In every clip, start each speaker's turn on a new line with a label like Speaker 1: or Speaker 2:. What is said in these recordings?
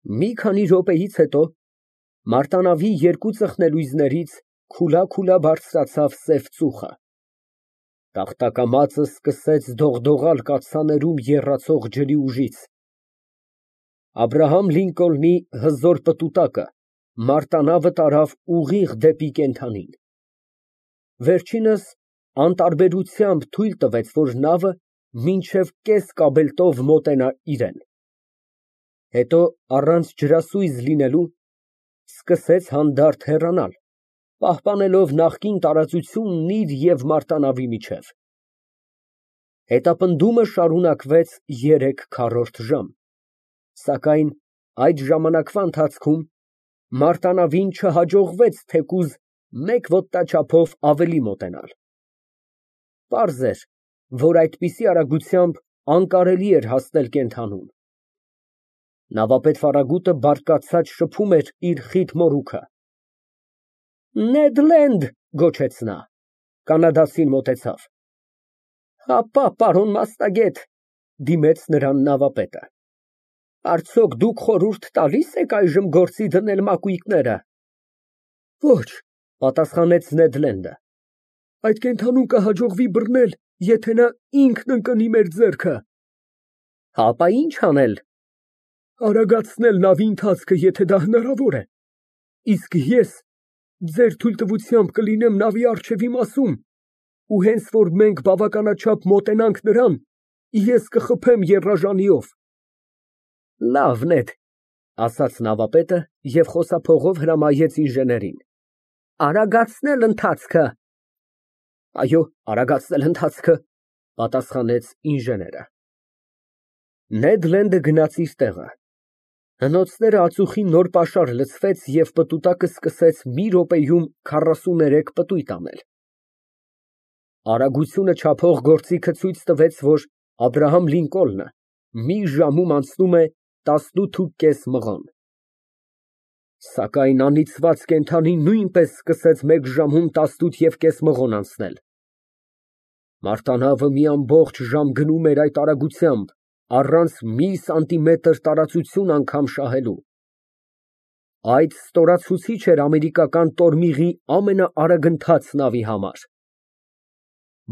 Speaker 1: Մի քանի րոպեից հետո մարտանավի երկու ծխնելույզներից քուլա բարձրացավ սև ծուխը, տաղտակամածն սկսեց դողդողալ կաթսաներում եռացող ջրի ուժից, Աբրահամ Լինկոլնի հզոր պտուտակը մարտանավը տարավ ուղիղ դեպի կենդանին, վերջինս անտարբերությամբ թույլ տվեց, որ նավը մինչև կես կաբելտով մոտենա իրան, հետո առանց ջրասույզ լինելու սկսեց հանդարտ հեռանալ, պահպանելով նախկին տարածությունն իր և մարտանավի միջև, հետապնդումը շարունակվեց 3/4 ժամ, սակայն այդ ժամանակվա ընթացքում մարտանավին չհաջողվեց թեկուզ մեկ ոտնաչափով ավելի մոտենալ, պարզ էր, որ այդպիսի արագությամբ անկարելի էր հասնել կենդանուն, նավապետ Ֆարագուտը բարկացած շփում էր իր խիտ մորուքը, Նեդ Լենդ գոչեց նա, կանադացին մոտեցավ, հապա, պարոն մասնագետ, դիմեց նրան նավապետը, արդյոք դուք խորհուրդ տալի՞ս եք այժմ գործի դնել մակույկները։ Ոչ, պատասխանեց Նեդ Լենդը, այդ կենդանուն կհաջողվի բռնել, եթե նա ինքն ընկնի մեր ձեռքը։ Հապա ինչ անել։ Արագացնել նավի ընթացքը, եթե դա հնարավոր է, իսկ ես ձեր թույլտվությամբ կլինեմ նավի առջևի մասում, ու հենց որ մենք բավականաչափ մոտենանք նրան, ես կխփեմ եռաժանիով։ Լավ, Նեդ, ասաց նավապետը և խոսափողով հրամայեց ինժեներին, արագացնել ընթացքը։ Այո, արագացնել ընթացքը, պատասխանեց ինժեները։ Նեդ Լենդը գնաց իր տեղը, հնոցները ածուխի նոր պաշար լցվեց և պտուտակը սկսեց մի րոպեում 43 պտույտ անել։ Արագությունը չափող գործիքը ցույց տվեց, որ Աբրահամ Լինկոլնը մի ժամում անցնում է 18.5 մղոն։ Սակայն անիծված կենդանին նույնպես սկսեց մեկ ժամում 18.5 մղոն անցնել։ Մարտանավը մի ամբողջ ժամ գնում էր այդ արագությամբ, առանց մի սանտիմետր տարածություն անգամ շահելու։ Այդ ստորացուցիչ էր ամերիկական տորմիղի ամենաարագընթաց նավի համար։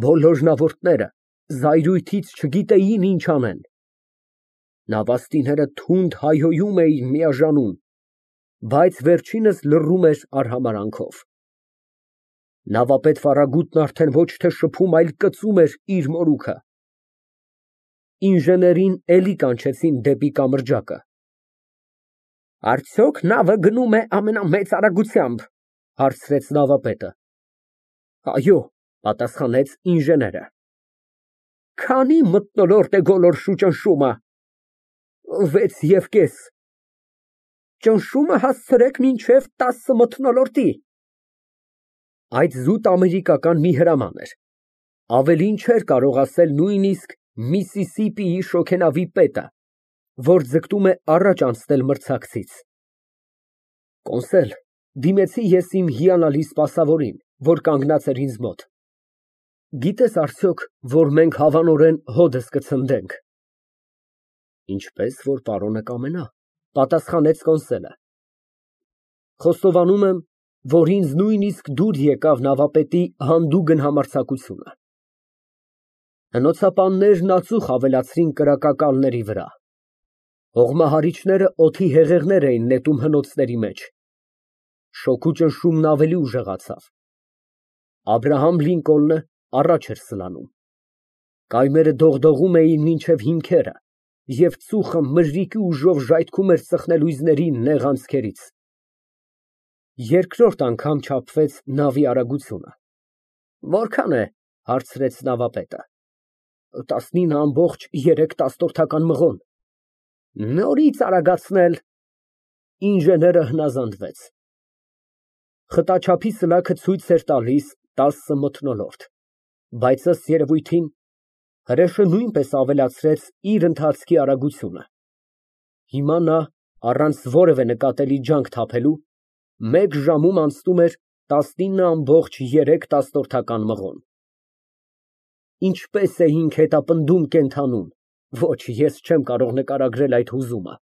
Speaker 1: Բոլորնավորները զայրույթից չգիտեին ինչ անեն։ Նավաստիները թունդ հայհոյում էին միաժամանակ, բայց վերջինս լռում էր արհամարհանքով։ Նավապետ Ֆարագուտն արդեն ոչ թե շփում, այլ կծում էր իր մորուքը։ Ինժեներին էլի կանչեցին դեպի կամրջակը։ Արդյոք նավը գնում է ամենամեծ արագությամբ, հարցրեց նավապետը։ Այո, պատասխանեց ինժեները։ Քանի մթնոլորտ է գոլորշու ճնշումը։ 6.5։ Ճնշումը հասցրեք մինչև 10 մթնոլորտի։ Այդ զուտ ամերիկական մի հրաման էր, ավելին չէր կարող ասել նույնիսկ Միսիսիպիի շոգենավի պետը, որ ձգտում է առաջ անցնել մրցակցից։ Կոնսել, դիմեցի ես իմ հիանալի սպասավորին, որ կանգնած էր ինձ մոտ։ Գիտես արդյոք, որ մենք հավանորեն հոդս կցնդենք։ Ինչպես որ պարոնը կամենա, պատասխանեց կոնսելը։ Խոստովանում եմ, որ ինձ նույնիսկ դուր եկավ նավապետի հանդուգն համարձակությունը։ Հնոցապաններն ածուխ ավելացրին կրակակալների վրա։ Հողմահարիչները օդի հեղեղներ էին նետում հնոցների մեջ։ Շոգու ճնշումն ավելի ուժեղացավ։ Աբրահամ Լինկոլնը առաջ էր սլանում։ Կայմերը դողդողում էին մինչև հիմքերը, և ծուխը մրրիկի ուժով ժայթքում էր ծխնելույզների նեղ անցքերից։ Երկրորդ անգամ չափվեց նավի արագությունը։ Որքան է, հարցրեց նավապետը։ 19.3 մղոն։ Նորից արագացնել։ Ինժեները հնազանդվեց։ Խտաչափի սլաքը ցույց էր տալիս 10 մթնոլորտ, բայց ըստ երևույթին հրեշը նույնպես ավելացրեց իր ընթացքի արագությունը։ Հիմա նա, առանց որևէ նկատելի ջանք թափելու, մեկ ժամում անցնում էր 19.3 մղոն։ Ինչպես էինք հետապնդում կենդանուն, ոչ, ես չեմ կարող նկարագրել այդ հուզումը։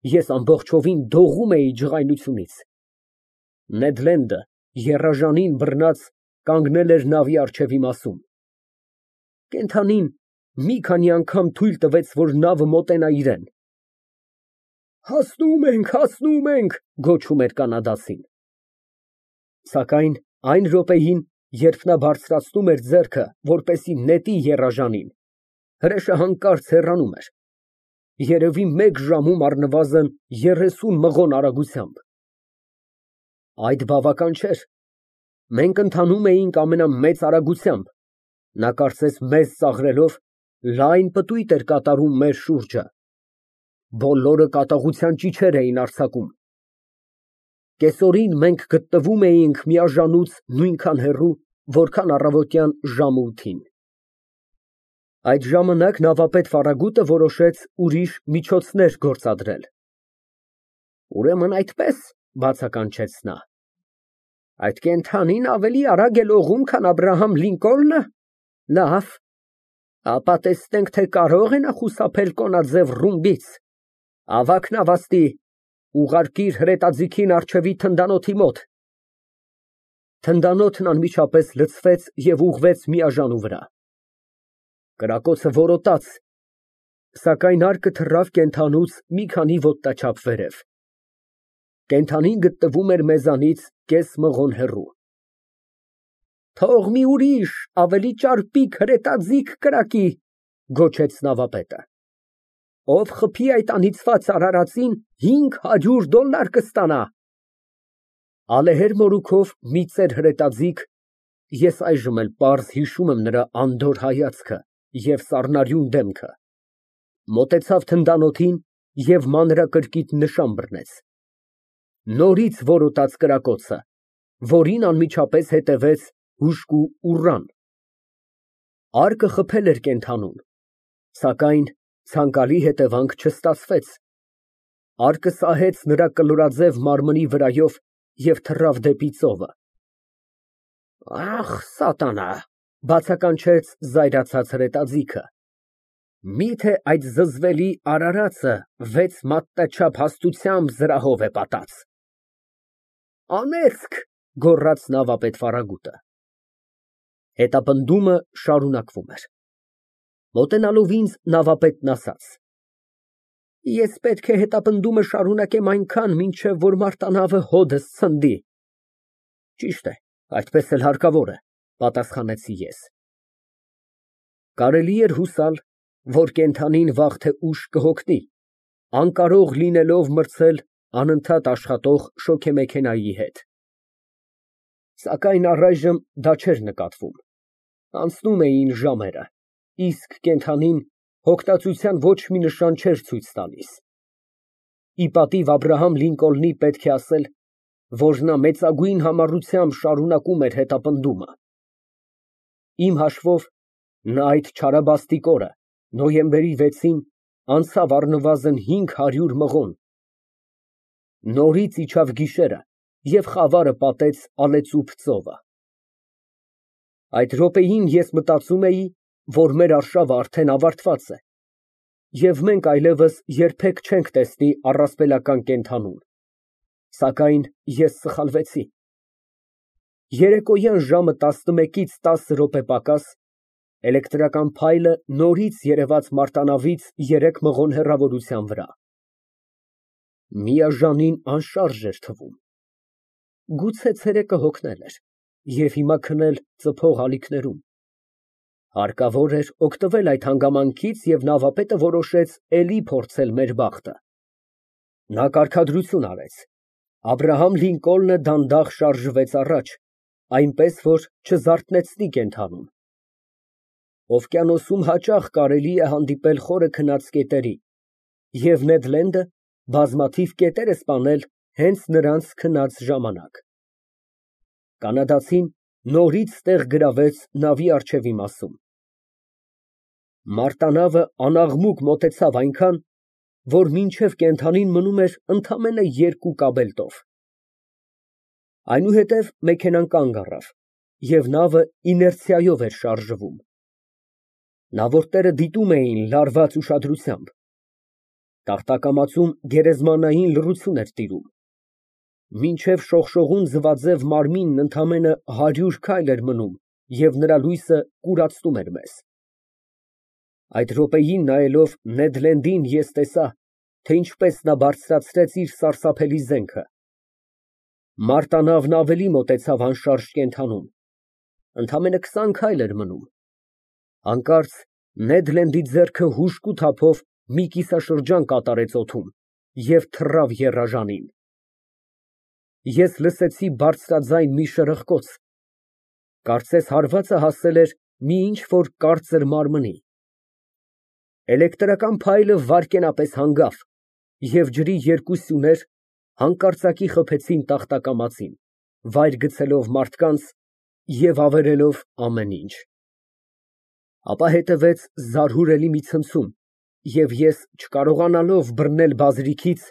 Speaker 1: Ես ամբողջովին դողում էի ջղայնությունից։ Նեդ Լենդը եռաժանին բռնած կանգնել էր նավի առջևի մասում։ Կենդանին մի քանի անգամ թույլ տվեց, որ նավը մոտենա իրան։ Հասնում ենք, գոչում էր կանադացին։ Սակայն այն րոպեին, երբ նա բարձրացնում էր ձեռքը, որպեսզի նետի եռաժանին, հրեշը հանկարծ հեռանում էր, երևի մեկ ժամում առնվազն 30 մղոն արագությամբ։ Այդ բավական չէր։ Մենք ընթանում էինք ամենամեծ արագությամբ, նա կարծես մեզ ծաղրելով լայն պտույտ էր կատարում մեր շուրջը։ Բոլորը կատաղության ճիչեր էին արձակում։ Կեսօրին մենք գտնվում էինք միաժանուց նույնքան հեռու, որքան առավոտյան ժամը 8-ին։ Այդ ժամանակ նավապետ Ֆարագուտը որոշեց ուրիշ միջոցներ գործադրել։ Ուրեմն այդպես, բացականչեց նա։ Այդ կենդանին ավելի արագ է լողում, քան Աբրահամ Լինկոլնը։ Լավ, ապա տեսնենք, թե կարո՞ղ է նա խուսափել կոնաձև ռումբից։ Ավագ նավաստի, ուղարկիր հրետաձիգին առջևի թնդանոթի մոտ։ Թնդանոթն անմիջապես լցվեց և ուղղվեց միաժանու վրա։ Կրակոցը որոտաց, սակայն արկը թռավ կենդանուց մի քանի ոտնաչափ վերև։ Կենդանին գտնվում էր մեզանից կես մղոն հեռու։ Թող մի ուրիշ, ավելի ճարպիկ հրետաձիգ կրակի, գոչեց նավապետը։ Ով խփի այդ անիծված արարածին, $500 կստանա։ Ալեհեր մորուքով մի ծեր հրետաձիգ, ես այժմ էլ պարզ հիշում եմ նրա անդորր հայացքը և սառնարյուն դեմքը, մոտեցավ թնդանոթին և մանրակրկիտ նշան բռնեց։ Նորից որոտաց կրակոցը, որին անմիջապես հետևեց հուժկու ուռան։ Արկը խփել էր կենդանուն, սակայն ցանկալի հետևանք չստացվեց։ Արկը սահեց նրա կլորաձև մարմնի վրայով և թռավ դեպի ծովը։ Ախ, սատանա, բացականչեց զայրացած հրետաձիգը։ Միթե այդ զզվելի արարածը 6 մատնաչափ հաստությամբ զրահով է պատած։ Անեծք, գոռաց նավապետ Ֆարագուտը։ Հետապնդումը շարունակվում էր։ Մոտենալով ինձ, նավապետն ասաց. Ես պետք է հետապնդումը շարունակեմ այնքան, մինչև որ մարտանավը հոդս ցնդի։ Ճիշտ է, այդպես էլ հարկավոր է, պատասխանեցի ես։ Կարելի էր հուսալ, որ կենդանին վաղ թե ուշ կհոգնի, անկարող լինելով մրցել անընդհատ աշխատող շոգեմեքենայի հետ։ Սակայն առայժմ դա չէր նկատվում։ Անցնում էին ժամերը, իսկ կենդանին հոգնածության ոչ մի նշան չէր ցույց տալիս։ Ի պատիվ Աբրահամ Լինկոլնի պետք է ասել, որ նա մեծագույն համառությամբ շարունակում էր հետապնդումը։ Իմ հաշվով, նա այդ չարաբաստիկ օրը, նոյեմբերի 6-ին, անցավ առնվազն 500 մղոն։ Նորից իջավ գիշերը և խավարը պատեց Ալեծուփ ծովը։ Այդ րոպեին ես մտածում էի, որ մեր արշավը արդեն ավարտված է, և մենք այլևս երբեք չենք տեսնի առասպելական կենդանուն։ Սակայն ես սխալվեցի։ Երեկոյան ժամը 11-ից 10 րոպե պակաս էլեկտրական փայլը նորից երևաց մարտանավից 3 մղոն հեռավորության վրա։ Միաժանին անշարժ էր թվում։ Գուցե ցերեկը հոգնել էր և հիմա քնել ծփող ալիքներում։ Հարկավոր էր օգտվել այդ հանգամանքից և նավապետը որոշեց էլի փորձել մեր բախտը։ Նա կարգադրություն արեց։ Աբրահամ Լինկոլնը դանդաղ շարժվեց առաջ, այնպես որ չզարթնեցնի կենդանուն։ Օվկիանոսում հաճախ կարելի է հանդիպել խորը քնած կետերի, և Նեդ Լենդը բազմաթիվ կետեր է սպանել հենց նրանց քնած ժամանակ։ Կանադացին նորից տեղ գրավեց նավի առջևի մասում։ Մարտանավը անաղմուկ մոտեցավ այնքան, որ մինչև կենդանին մնում էր ընդամենը 2 կաբելտով։ Այնուհետև մեքենան կանգ առավ, և նավը իներցիայով էր շարժվում։ Նավորդները դիտում էին լարված ուշադրությամբ։ Տախտակամածում գերեզմանային լռություն էր տիրում։ Մինչև շողշողուն ձվածև մարմինն ընդամենը 100 քայլ էր մնում, և նրա լույսը կուրացնում էր մեզ։ Այդ րոպեին նայելով Նեդ Լենդին, ես տեսա, թե ինչպես նա բարձրացրեց իր սարսափելի զենքը։ Մարտանավն ավելի մոտեցավ անշարժ կենդանուն, ընդամենը 20 քայլ էր մնում։ Հանկարծ Նեդ Լենդի ձեռքը հուժկու թափով մի կիսաշրջան կատարեց օդում և թռավ եռաժանին։ Ես լսեցի բարձրաձայն մի շրխկոց, կարծես հարվածը հասել էր մի ինչ֊որ կարծր մարմնի։ Էլեկտրական փայլը վայրկենապես հանգավ, և ջրի երկու սյուներ հանկարծակի խփեցին տախտակամածին, վայր գցելով մարդկանց և ավերելով ամեն ինչ։ Ապա հետևեց զարհուրելի մի ցնցում, և ես, չկարողանալով բռնել բազրիքից,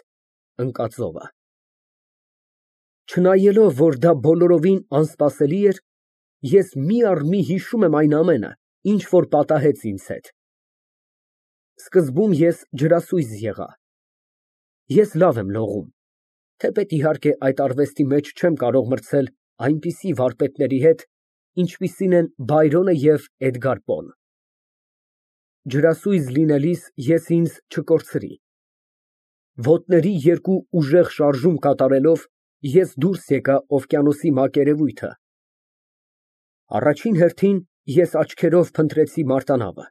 Speaker 1: ընկա ծովը։ Չնայելով, որ դա բոլորովին անսպասելի էր, ես մի առ մի հիշում եմ այն ամենը, ինչ որ պատահեց ինձ հետ։ Սկզբում ես ջրասույզ եղա։ Ես լավ եմ լողում, թեպետ, իհարկե, այդ արվեստի մեջ չեմ կարող մրցել այնպիսի վարպետների հետ, ինչպիսին են Բայրոնը և Էդգար Պոն։ Ջրասույզ լինելիս ես ինձ չկորցրի։ Ոտների երկու ուժեղ շարժում կատարելով, ես դուրս եկա օվկիանոսի մակերևույթը։ Առաջին հերթին ես աչքերով փնտրեցի մարտանավը։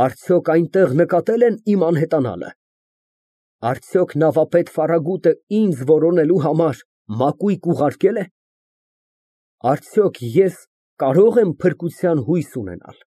Speaker 1: Արդյոք այնտեղ նկատել են իմ անհետանալը։ Արդյոք նավապետ Ֆարագուտը ինձ որոնելու համար մակույկ ուղարկե՞լ է։ Արդյոք ես կարո՞ղ եմ փրկության հույս ունենալ։